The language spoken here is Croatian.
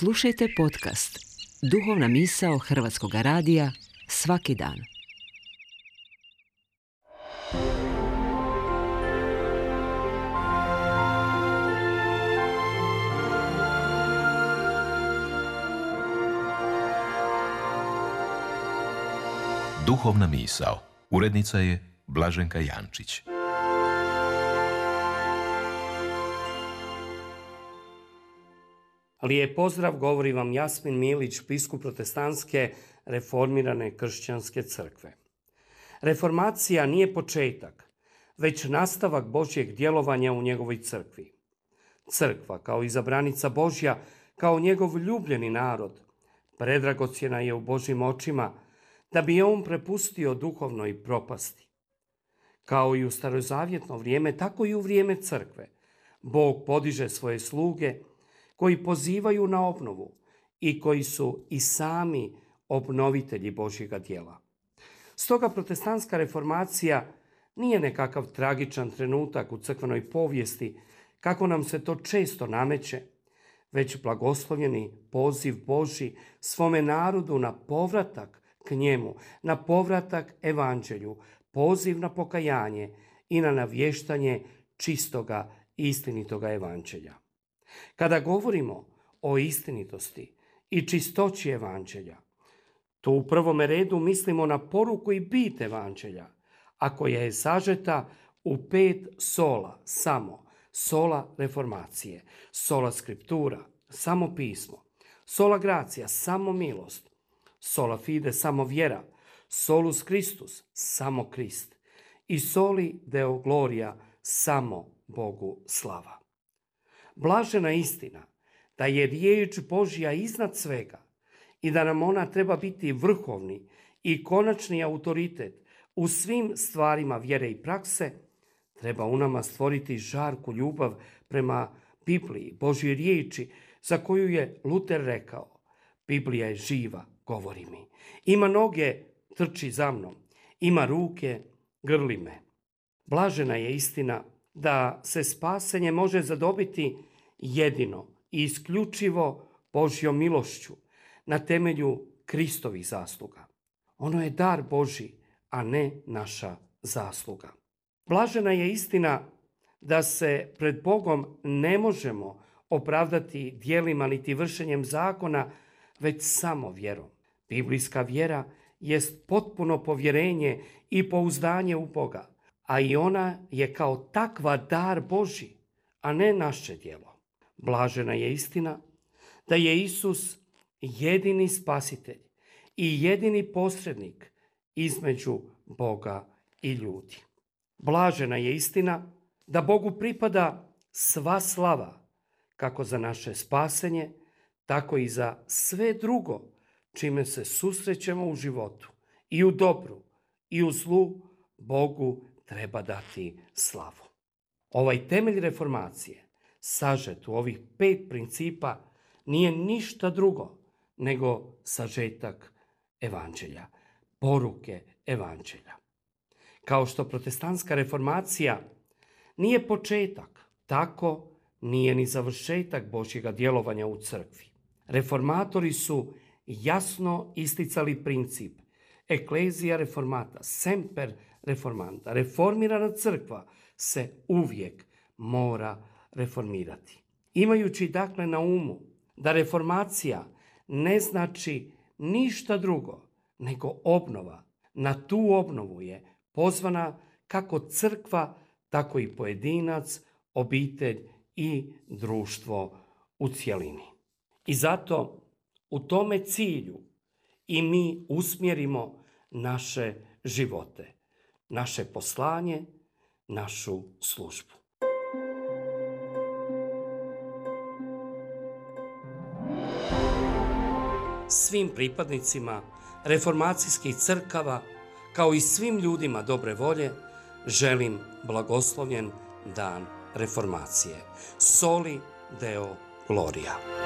Slušajte podcast Duhovna misao Hrvatskog radija svaki dan. Duhovna misao. Urednica je Blaženka Jančić. Lijep pozdrav, govori vam Jasmin Milić, biskup protestantske reformirane kršćanske crkve. Reformacija nije početak, već nastavak Božjeg djelovanja u njegovoj crkvi. Crkva, kao izabranica Božja, kao njegov ljubljeni narod, predragocjena je u Božjim očima, da bi je on prepustio duhovnoj propasti. Kao i u starozavjetno vrijeme, tako i u vrijeme crkve. Bog podiže svoje sluge koji pozivaju na obnovu i koji su i sami obnovitelji Božjega djela. Stoga protestantska reformacija nije nekakav tragičan trenutak u crkvenoj povijesti, kako nam se to često nameće, već blagoslovljeni poziv Božji svome narodu na povratak k njemu, na povratak evanđelju, poziv na pokajanje i na navještanje čistoga i istinitoga evanđelja. Kada govorimo o istinitosti i čistoći evanđelja, to u prvome redu mislimo na poruku i bit evanđelja, a koja je sažeta u 5 sola, samo sola reformacije, sola skriptura, samo pismo, sola gracija, samo milost, sola fide, samo vjera, solus Christus, samo Krist i soli deo gloria, samo Bogu slava. Blažena istina da je riječ Božja iznad svega i da nam ona treba biti vrhovni i konačni autoritet u svim stvarima vjere i prakse, treba u nama stvoriti žarku ljubav prema Bibliji, Božjoj riječi, za koju je Luter rekao: Biblija je živa, govori mi. Ima noge, trči za mnom. Ima ruke, grli me. Blažena je istina da se spasenje može zadobiti jedino i isključivo Božjom milošću na temelju Kristovih zasluga. Ono je dar Božji, a ne naša zasluga. Blažena je istina da se pred Bogom ne možemo opravdati djelima niti vršenjem zakona, već samo vjerom. Biblijska vjera jest potpuno povjerenje i pouzdanje u Boga, a i ona je kao takva dar Božji, a ne naše djelo. Blažena je istina da je Isus jedini spasitelj i jedini posrednik između Boga i ljudi. Blažena je istina da Bogu pripada sva slava, kako za naše spasenje, tako i za sve drugo čime se susrećemo u životu. I u dobru i u zlu Bogu treba dati slavu. Ovaj temelj reformacije, sažet u ovih 5 principa, nije ništa drugo nego sažetak evanđelja, poruke evanđelja. Kao što protestantska reformacija nije početak, tako nije ni završetak Božjega djelovanja u crkvi. Reformatori su jasno isticali princip Ecclesia reformata, semper reformanta. Reformirana crkva se uvijek mora reformirati. Imajući dakle na umu da reformacija ne znači ništa drugo nego obnova, na tu obnovu je pozvana kako crkva, tako i pojedinac, obitelj i društvo u cjelini. I zato u tome cilju i mi usmjerimo naše živote, naše poslanje, našu službu. Svim pripadnicima reformacijskih crkava, kao i svim ljudima dobre volje, želim blagoslovljen dan reformacije. Soli deo gloria.